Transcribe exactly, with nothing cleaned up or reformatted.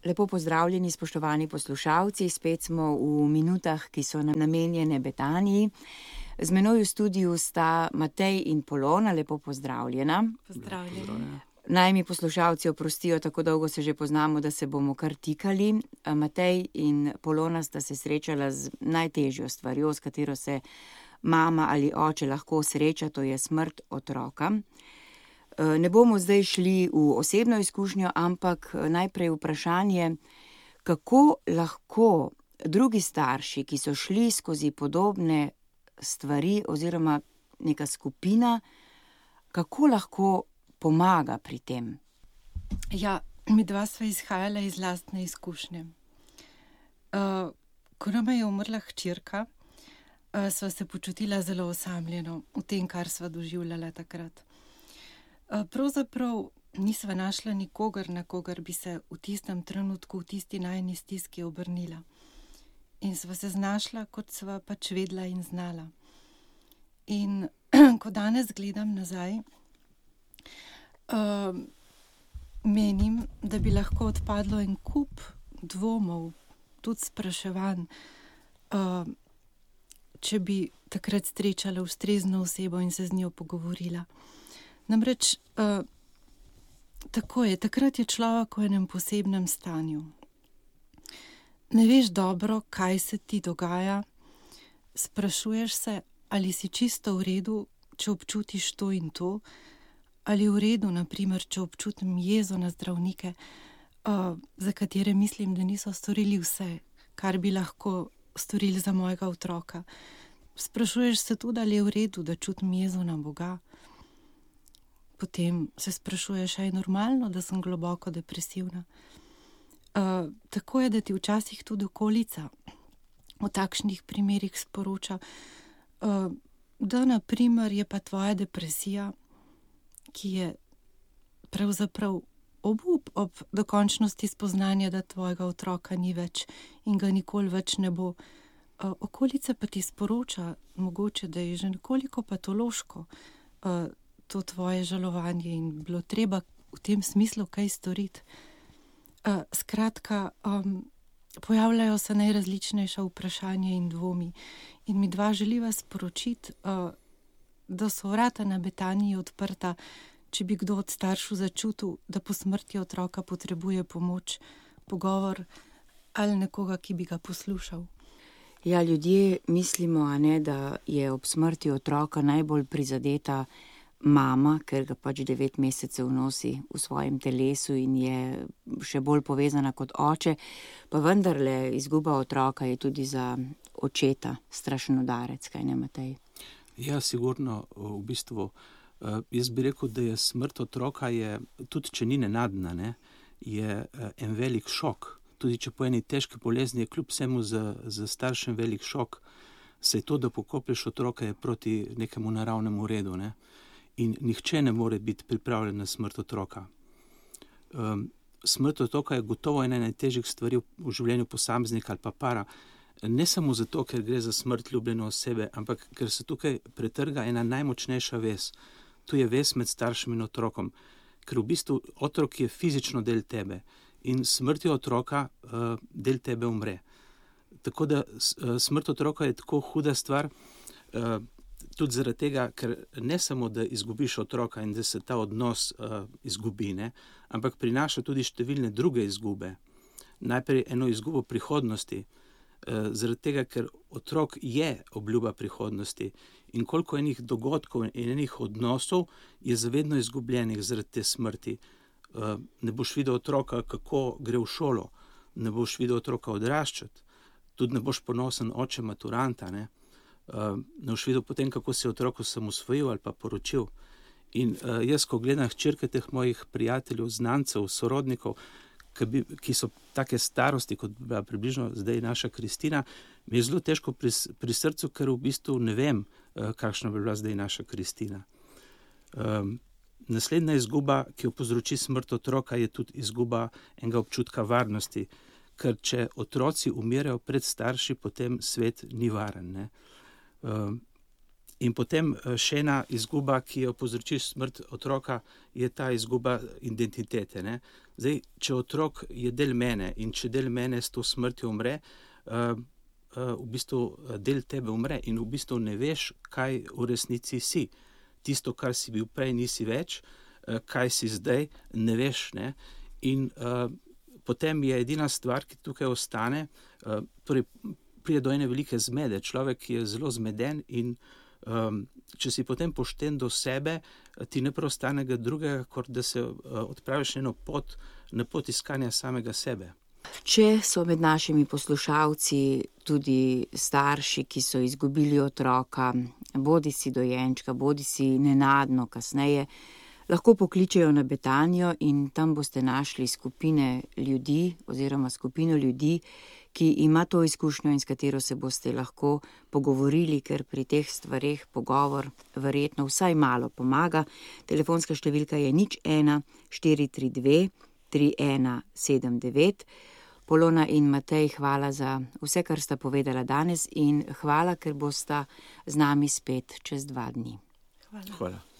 Lepo pozdravljeni, spoštovani poslušalci, spet smo v minutah, ki so nam namenjene Betaniji. Z menoj v studiu sta Matej in Polona, lepo pozdravljena. Pozdravljeni. Naj mi poslušalci oprostijo, tako dolgo se že poznamo, da se bomo kar tikali. Matej in Polona sta se srečala z najtežjo stvarjo, s katero se mama ali oče lahko sreča, to je smrt otroka. Ne bomo zdaj šli v osebno izkušnjo, ampak najprej vprašanje, kako lahko drugi starši, ki so šli skozi podobne stvari oziroma neka skupina, kako lahko pomaga pri tem? Ja, mi dva sva izhajala iz lastne izkušnje. Uh, ko nama je umrla hčerka, uh, sva se počutila zelo osamljeno v tem, kar sva doživljala takrat. Uh, pravzaprav nisva našla nikogar, na kogar bi se v tistem trenutku, v tisti najni stiski obrnila. In sva se znašla, kot sva pač vedela in znala. In ko danes gledam nazaj, Uh, menim, da bi lahko odpadlo en kup dvomov, tudi spraševanj, uh, če bi takrat srečala ustrezno osebo in se z njo pogovorila. Namreč, uh, tako je, takrat je človek v enem posebnem stanju. Ne veš dobro, kaj se ti dogaja, sprašuješ se, ali si čisto v redu, če občutiš to in to, ali v redu, naprimer, če občutim jezo na zdravnike, uh, za katere mislim, da niso storili vse, kar bi lahko storili za mojega otroka. Sprašuješ se tudi, ali je v redu, da čutim jezo na Boga. Potem se sprašuješ, ali je normalno, da sem globoko depresivna. Uh, tako je, da ti včasih tudi okolica v takšnih primerih sporoča, uh, da naprimer je pa tvoja depresija, ki je pravzaprav obup ob dokončnosti spoznanja, da tvojega otroka ni več in ga nikoli več ne bo. Uh, okolica pa ti sporoča, mogoče, da je že nekoliko patološko uh, to tvoje žalovanje in bilo treba v tem smislu kaj storiti. Uh, skratka, um, pojavljajo se najrazličnejša vprašanja in dvomi in mi dva želiva sporočiti, uh, da so vrata na Betaniji odprta, če bi kdo od staršev začutil, da po smrti otroka potrebuje pomoč, pogovor ali nekoga, ki bi ga poslušal. Ja, ljudje mislimo, a ne, da je ob smrti otroka najbolj prizadeta mama, ker ga pač devet mesecev nosi v svojem telesu in je še bolj povezana kot oče, pa vendarle izguba otroka je tudi za očeta strašen udarec, kaj ne, Matej? Ja, sigurno, v bistvu, jaz bi rekel, da je smrt otroka, je, tudi če ni nenadna, ne, je en velik šok. Tudi če po eni težki bolezni je kljub vsemu za, za staršem velik šok, saj to, da pokoplješ otroka, je proti nekemu naravnemu redu, ne, in nihče ne more biti pripravljen na smrt otroka. Um, smrt otroka je gotovo ena najtežjih stvari v življenju posameznika ali pa para, ne samo zato, ker gre za smrt ljubljene osebe, ampak ker se tukaj pretrga ena najmočnejša vez. To je vez med staršem in otrokom, ker v bistvu otrok je fizično del tebe in smrtjo otroka uh, del tebe umre. Tako da uh, smrt otroka je tako huda stvar, uh, tudi zaradi tega, ker ne samo, da izgubiš otroka in da se ta odnos uh, izgubi, ne, ampak prinaša tudi številne druge izgube. Najprej eno izgubo prihodnosti, zaradi tega, ker otrok je obljuba prihodnosti in koliko enih dogodkov in enih odnosov je zavedno izgubljenih zaradi te smrti. Ne boš videl otroka, kako gre v šolo, ne boš videl otroka odraščati, tudi ne boš ponosen oče maturanta, ne, ne boš videl potem, kako se je otrok osamosvojil ali pa poročil. In jaz, ko gledam hčerke teh mojih prijateljev, znancev, sorodnikov, Ki, bi, ki so take starosti, kot bi bila približno zdaj naša Kristina, mi je zelo težko pri, pri srcu, ker v bistvu ne vem, kakšna bi bila zdaj naša Kristina. Um, naslednja izguba, ki jo povzroči smrt otroka, je tudi izguba enega občutka varnosti, ker če otroci umirajo pred starši, potem svet ni varen, ne. Um, In potem še ena izguba, ki jo povzroči smrt otroka, je ta izguba identitete. Ne? Zdaj, če otrok je del mene in če del mene s to smrtjo umre, uh, uh, v bistvu del tebe umre in v bistvu ne veš, kaj v resnici si. Tisto, kar si bil prej, nisi več, uh, kaj si zdaj, ne veš. Ne? In uh, potem je edina stvar, ki tukaj ostane, uh, torej pride do ene velike zmede. Človek je zelo zmeden in um, če si potem pošten do sebe, ti ne preostane drugega, kot da se uh, odpraviš eno pot, na pot iskanja samega sebe. Če so med našimi poslušalci tudi starši, ki so izgubili otroka, bodi si dojenčka, bodi si nenadno kasneje, lahko pokličejo na Betanijo in tam boste našli skupine ljudi oziroma skupino ljudi, ki ima to izkušnjo in s katero se boste lahko pogovorili, ker pri teh stvareh pogovor verjetno vsaj malo pomaga. Telefonska številka je nič ena štiri tri dve tri ena sedem devet. Polona in Matej, hvala za vse, kar sta povedala danes in hvala, ker bosta z nami spet čez dva dni. Hvala. Hvala.